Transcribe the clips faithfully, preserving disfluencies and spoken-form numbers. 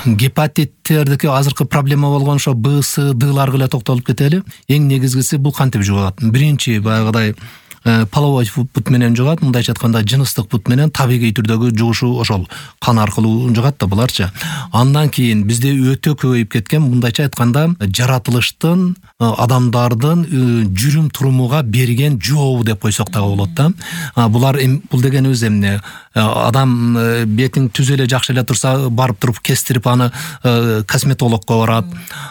гепатиттердики азыркы проблема болгон ошо Б, С, Д'ларга эле токтолуп кетели. Эң негизгиси бул кантип жугат? Биринчи баягыдай половой путь менен жугат, мындайча айтканда жыныстык путь менен табигый түрдөгү жугушу ошол кан аркылуу жугат да буларчы. Андан кийин бизде өтө көбөйүп кеткен, мындайча айтканда жаратылыштын адамдардын жүрүм турумуга берген жообу деп койсок дагы болот да. Булар бул дегенибиз эмне? Адам бетиң түз эле жакшы эле турса, барып туруп кестирип аны косметологко барат,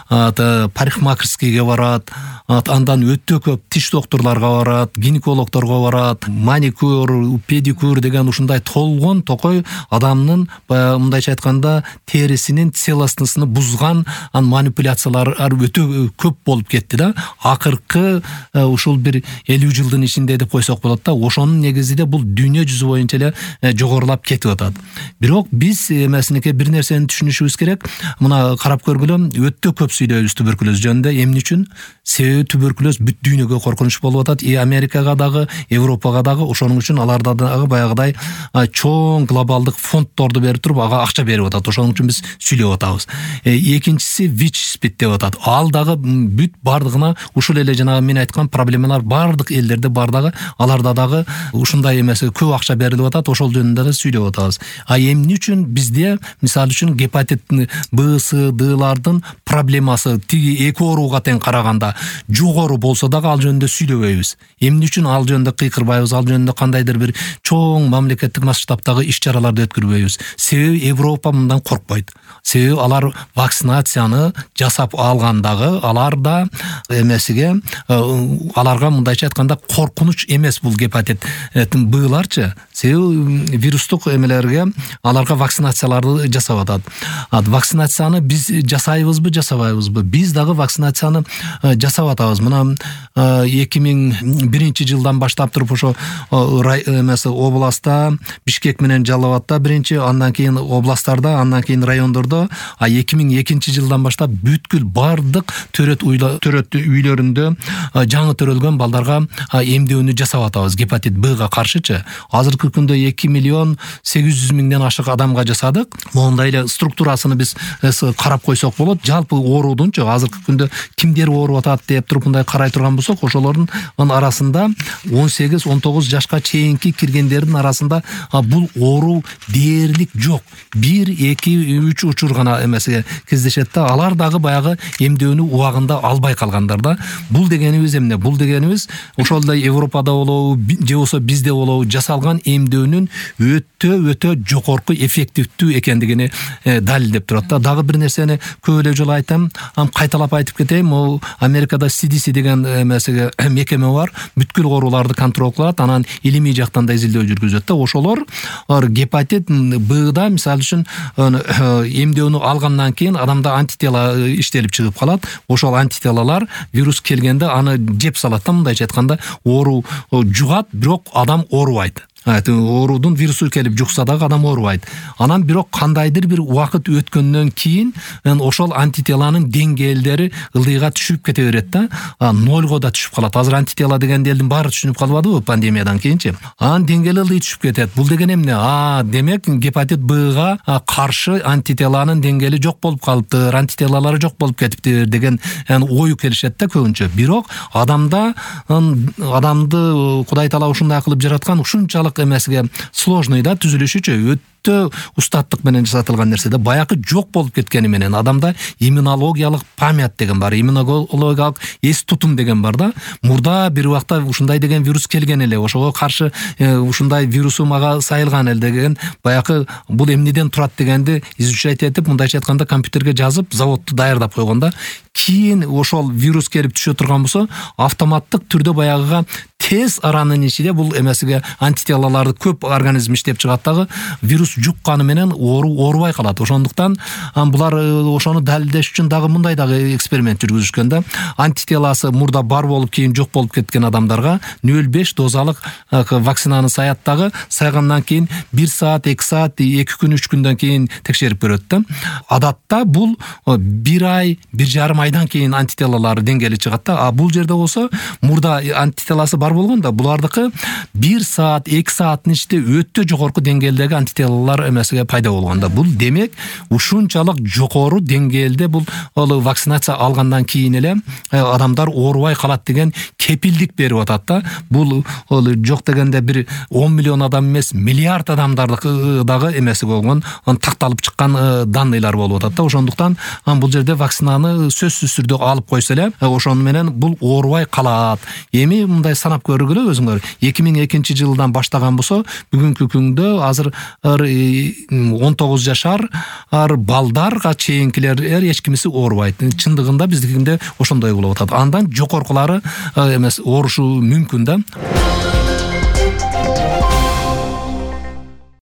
парикмахерскийге барат, андан өтө көп тиш доктурларга барат, гинекологторго барат, маникюр, педикюр деген ушундай толгон токой адамдын мындайча айтканда терисинин целостностун бузган манипуляциялар өтө көп болуп кетти да. Акыркы ушул бир элүү жылдын ичинде деп койсок болот да. Ошонун негизинде бул дүйнө жүзү боюнча эле жогорулап кетип атат. Бирок биз эмесинеке бир нерсени түшүнүшүбүз керек. Мына карап көргүлө, өтө көп сүйлөйбүз туберкулез жөнүндө. Эмне үчүн? Себеби туберкулез бүт дүйнөгө коркунуч болуп атат. И Америкага дагы, Европага дагы, ошонун үчүн аларда дагы баягыдай чоң глобалдык фонддорду берип туруп, ага акча берип атат. Ошонун үчүн биз сүйлөп атабыз. Экинчиси ВИЧ-СПИД деп атат. Ал дагы бүт бардыгына ушул эле жанагы мен айткан проблемалар бардык элдерде бар дагы, аларда дагы ушундай эмес көп акча берилип атат. Ошол жөнүндө да сүйлөп атабыз. А эмне үчүн бизде мисалы үчүн гепатит Б, С, Д'лардын проблемасы тиги эки ооруга тең караганда жогору болсо дагы ал жөнүндө сүйлөбөйбүз. Эмне үчүн ал жөнүндө кыйкырбайбыз, ал жөнүндө кандайдыр бир чоң мамлекеттик масштабтагы иш-чараларды өткөрбөйбүз. Себеби Европа мындан коркпойт. Себеби алар вакцинацияны жасап алгандагы аларда эмесиге аларга мындайча айтканда коркунуч эмес бул гепатит Б'ларчы. Себеби вирустук эмелерге аларга вакцинацияларды жасап атат. Вакцинацияны биз жасайбызбы, жасабайбызбы? Биз дагы вакцинацияны жасап атабыз. Мына эки миң биринчи жылдан баштап туруп ошо эмес областта, Бишкек менен Жалал Абадта биринчи, андан кийин областтарда, андан кийин райондордо, а эки миң экинчи жылдан баштап бүткүл бардык төрөт төрөт үйлөрүндө жаңы төрөлгөн балдарга эмдөөнү жасап атабыз гепатит Б'га каршычы. Азыркы күндө эки миллион сегиз жүз миңден ашык адамга жасадык. Мондай эле структурасыны биз карап койсок болот. Жалпы оорудунчу азыркы күндө кимдер ооруп атат деп туруп мындай карай турган болсок, ошолордун арасында он сегиз он тогуз жашка чейинки киргендердин арасында бул оору дээрлик жок. бир эки үч учур гана эмесе кездешет да. Алар дагы баягы эмдөөнү убагында албай калгандар да. Бул дегенибиз эмне? Бул дегенибиз ошолдой Европада болобу, же болсо бизде болобу жасалган эмдөөнүн өтө өтө жогорку эффективдүү экендигини далилдеп турат да. Дагы бир нерсени көп эле жолу айтам, кайталап айтып кетейин. Могу Америкада си ди си деген эмесиге мекеме бар. Бүткүл ооруларды контрол кылат, анан илимий жактан да изилдөө жүргүзөт да. Ошолор гепатит Б'да мисалы үчүн эмдөөнү алгандан кийин адамда антитела иштелип чыгып калат. Ошол антителалар вирус келгенде аны жеп салат да, мындайча айтканда оору жугат, бирок адам оорубайт. Оорудун вирусу келип жукса дагы адам оорубайт. Анан бирок кандайдыр бир убакыт өткөндөн кийин ошол антителанын деңгээлдери ылдыйга түшүп кете берет да. Нолго да түшүп калат. Азыр антитела дегенди элдин баары түшүнүп калбадыбы пандемиядан кийинчи? Анын деңгээли ылдый түшүп кетет. Бул деген эмне? А, демек гепатит Б'га каршы антителанын деңгээли жок болуп калыптыр, антителалары жок болуп кетиптир деген ою келишет да көбүнчө. Бирок адамда адамды Кудай таала ушундай кылып жараткан, ушунчалык эмесиге сложный да түзүлүшүчү, өтө устаттык менен жасатылган нерседе баягы жок болуп кеткени менен адамда иммунологиялык память деген бар, иммунологиялык эс тутум деген бар да. Мурда бир убакта ушундай деген вирус келген эле, ошого каршы ушундай вирусу мага сайылган эле деген баягы бул эмнеден турат дегенди изучать этип, мындайча айтканда компьютерге жазып, заводду даярдап койгон да. Кийин ошол вирус келип түшө турган болсо, автоматтык түрдө баягыга тез аранын ичинде бул эмесиге антителаларды көп организм иштеп чыгат дагы вирус жукканы менен оору оорубай калат. Ошондуктан булар ошону далилдеш үчүн дагы мындай дагы эксперимент жүргүзүшкөн да. Антителасы мурда бар болуп кийин жок болуп кеткен адамдарга нөл беш дозалык вакцинаны саят дагы, сайгандан кийин бир саат, эки саат, эки күн, үч күндөн кийин текшерип көрөт да. Адатта бул бир ай, бир жарым айдан кийин антителалар деңгээли чыгат да. А бул жерде болсо мурда антителасы бар болгон да, булардыкы бир саат, эки сааттын ичинде өтө жогорку деңгээлдеги антителалар эмесиге пайда болгон да. Бул демек ушунчалык жогору деңгээлде бул вакцинация алгандан кийин эле адамдар оорубай калат деген кепилдик берип атат да. Бул жок дегенде бир он миллион адам эмес, миллиард адамдардыкы дагы эмеси болгон, такталып чыккан данныйлар болуп атат да. Ошондуктан бул жерде вакцинаны сөзсүз түрдө алып койсо эле, ошону менен бул оорубай калат. Эми мындай санап көргүлө өзүңөр. эки миң экинчи жылдан баштаган болсо, бүгүнкү күндө азыр он тогуз жашар балдарга чейинкилер эч кимиси оорубайт. Чындыгында биздикинде ошондой болуп атат. Андан жогоркулары эмес оорушу мүмкүн да.